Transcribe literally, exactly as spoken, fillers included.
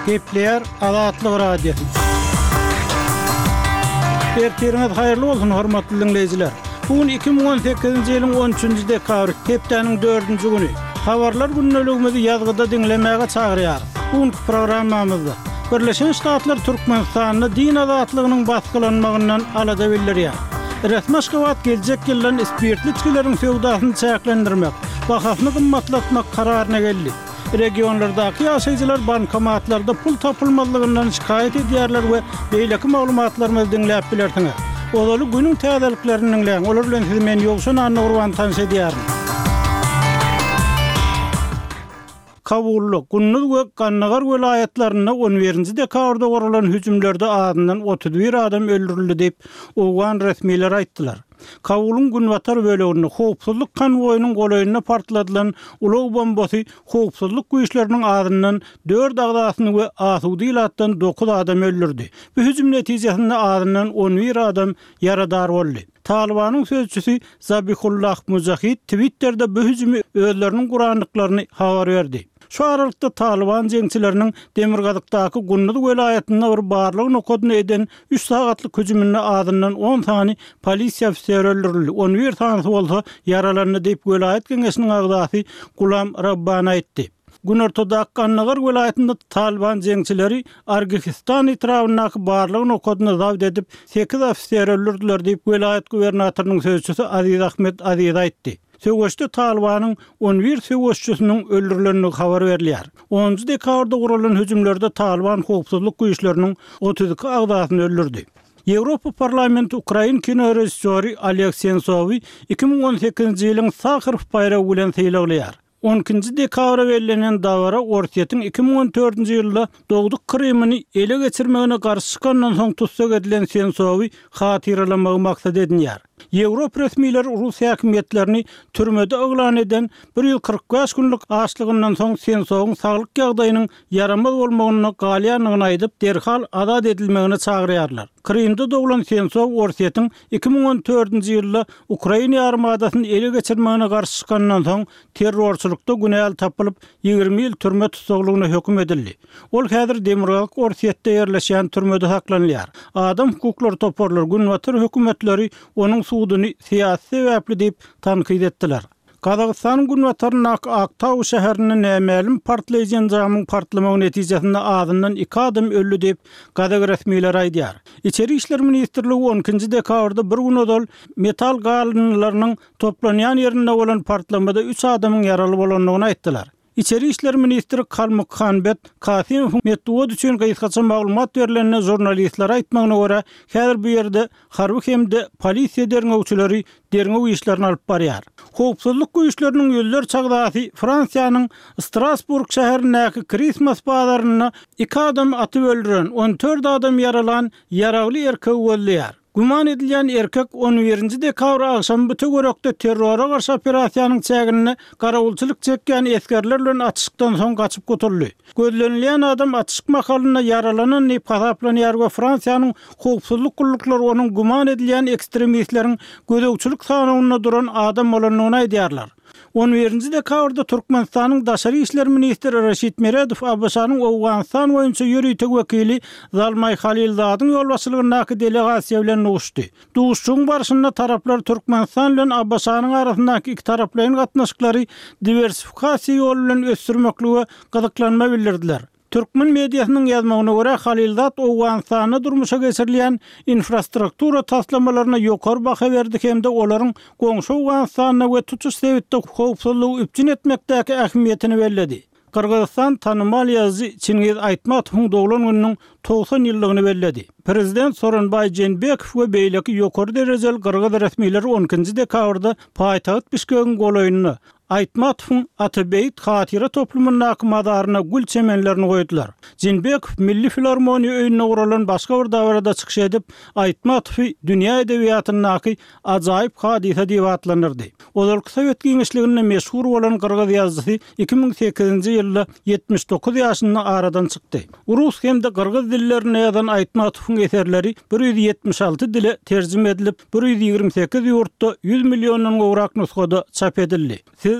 Gepleýär Azatlyk Radiosy. Ertiriňiz haýyrly bolsun, hormatly diňleýjiler. Bu gün iki müň on sekizinji ýylyň on üçünji dekabry, hepdäniň dördünji güni. Habarlar gündeligimizi ýazgyda diňlemäge çagyrýarys. Bu günki programmamyzda Birleşen Ştatlar Türkmenistanda din azatlygynyň basgylanmagyndan alada bildirýär. Resmi Aşgabat geljek ýyldan spirtli içgileriň söwdasyny çäklendirmek, bahasyny gymmatlatmak kararyna geldi. Regionlardaky ýaşaýjylar bankomatlarda pul tapylmazlygyndan şikaýat edýärler we beýleki maglumatlarymyzy diňläp bilersiňiz. Ozaly günüň täzeliklerini diňläň, olar bilen sizi men Ýowşan Annagurban tanyş edýärin. Kabulda, Gunduz we Gandagar welaýatlarynda on birinji dekabrda guralan hüjümlerde azyndan otuz bir adam öldürildi diýip, owgan resmileri aýtdylar. Kabulyň günbatar böleginde howpsuzlyk konwoýunyň golaýynda partladylan ulag bombasy howpsuzlyk güýçleriniň azyndan dört agzasyny we asuda ilatdan dokuz adam öldürdi. Bu hüjüm netijesinde azyndan on bir adam ýaradar boldy. Talibanyň sözçüsi Zabihullah Mujahid Twitter'de bu hüjümi özleriniň gurandyklaryny habar berdi. Şu aralykda Taliban jeňçileriniň Demirgazykdaky Gunduz welaýatynda bir barlyk nokadyny eden üç sagatlyk hüjüminde azyndan on sany polisiýa ofiseri öldürildi. On bir sanysy bolsa ýaralandy diýip welaýat geňeşiniň agzasy Gulam Rabbani aýtdy. Günortadaky Gandagar welaýatynda Taliban jeňçileri Argihistan etrabyndaky barlyk nokadyny zabt edip sekiz ofiseri öldürdüler diýip welaýat gubernatorynyň sözçüsi Aziz Ahmet Aziz aýtdy. Söweşde Talibanyň on bir söweşçisiniň öldürilendigi habar berilýär. Onunjy dekabrda guralan hüjümlerde Taliban howpsuzlyk güýçleriniň otuz iki agzasyny öldürdi. Ýewropa Parlamenti Ukrain kino režissýory Oleg Sensowy iki müň on sekizinji ýylyň Saharow baýragy bilen sylaglaýar. On ikinji dekabra bellenen dabara Orsýetiň iki müň on dördünji ýylda dogduk Krymyny ele geçirmegine garşy çykandan soň tussag edilen Sensowy hatyralamagy maksat edinýär. Ýewropa resmileri Rus häkimiýetlerini türmede yglan eden bir ýüz kyrk bäş günlük açlygyndan soň Sensowyň saglyk ýagdaýynyň ýaramaz bolmagyna galýandygyny aýdyp, derhal azat edilmegine çagyrýarlar. Krymda doglan Sensow Orsýetiň iki müň on dördünji ýylda Ukraina ýarymadasyny ele geçirmegine garşy çykandan soň terrorçylykda günäli tapylyp ýigrimi ýyl türme tussaglygyna höküm edildi. Ol häzir Demirgazyk Orsýetde ýerleşýän türmede saklanylýar. Adam hukuklary toparlary, günbatar hökümetleri onuň suduny syýasy sebäpli diýip tankyt etdiler. Gazagystanyň günbataryndaky Aktau şäherinde nämälim partlaýjy enjamyň partlamagy netijesinde azyndan iki adam öldi diýip gazak resmileri aýdýar. Içeri işler ministrligi on ikinji dekabrda bir gün ozal metal galyndylarynyň toplanýan ýerinde bolan partlamada üç adamyň ýaraly bolandygyny aýtdylar. Içeri işler ministri Kalmukhanbet Kasymowyň metbugat üçin gysgaça maglumat berilenine žurnalistlere aýtmagyna görä, häzir bu ýerde harby hem-de polisiýa derňewçileri derňew işlerini alyp barýar. Howpsuzlyk güýçleriniň ýüzlerçe agzasy Fransiýanyň Strasburg şäherindäki Christmas bazarynda iki adam atyp öldüren, on dört adam ýaralan ýaragly erkegi gözleýär. Güman edilýän erkek on birinji dekabr agşamy bu töwerekde terrora garşy operasiýanyň çäginde garawulçylyk çekýän esgerler bilen atyşykdan soň gaçyp gutuldy. Gözlenilýän adam atyşyk mahalynda ýaralanan diýip hasaplanýar we Fransiýanyň howpsuzlyk gulluklary onuň güman edilýän ekstremistleriň gözegçilik sanawynda duran adam bolandygyny aýdýarlar. On birinji dekabrda Türkmenistanyň Daşary işler ministri Reşit Meredow A B Ş-nyň Owganystan boýunça ýörite wekili Zalmaý Halilzadyň ýolbaşçylygyndaky delegasiýa bilen duşdy. Duşuşygyň barşynda taraplar Türkmenistan bilen A B Ş-nyň arasyndaky iki taraplaýyn gatnaşyklary diwersifikasiýa ýoly bilen ösdürmeklige gyzyklanma bildirdiler. Türkmen mediasynyň ýazmagyna görä Halilzad Owganystanda durmuşa geçirilýän infrastruktura taslamalaryna ýokary baha berdi hem-de olaryň goňşy Owganystanda we tutuş sebitde howpsuzlygy üpjün etmekdäki ähmiýetini belledi. Gyrgyzystan tanymal ýazyjy Çingiz Aýtmatowyň doglan gününiň togsan ýyllygyny belledi. Prezident Soronbaý Jeenbekow we beýleki ýokary derejeli gyrgyz resmileri on ikinji dekabrda paýtagt Bişkegiň golaýynda Aýtmatowyň Atabeýit hatyra toplumyndaky mazaryna gül çemenlerini goýdular. Jeenbekow Milli filarmoniýa öýünde guralan başga bir dabarada çykyş edip, Aýtmatowy dünýä edebiýatyndaky ajaýyp hadysa diýip atlandyrdy. Ozalky Sowet giňişliginde meşhur bolan gyrgyz ýazyjysy iki müň sekizinji ýylda ýetmiş dokuz ýaşynda aradan çykdy. Rus hem-de gyrgyz dillerinde ýazan Aýtmatowyň eserleri bir ýüz ýetmiş alty dile terjime edilip, bir ýüz ýigrimi sekiz ýurtda ýüz milliondan gowrak nusgada çap edildi. Siz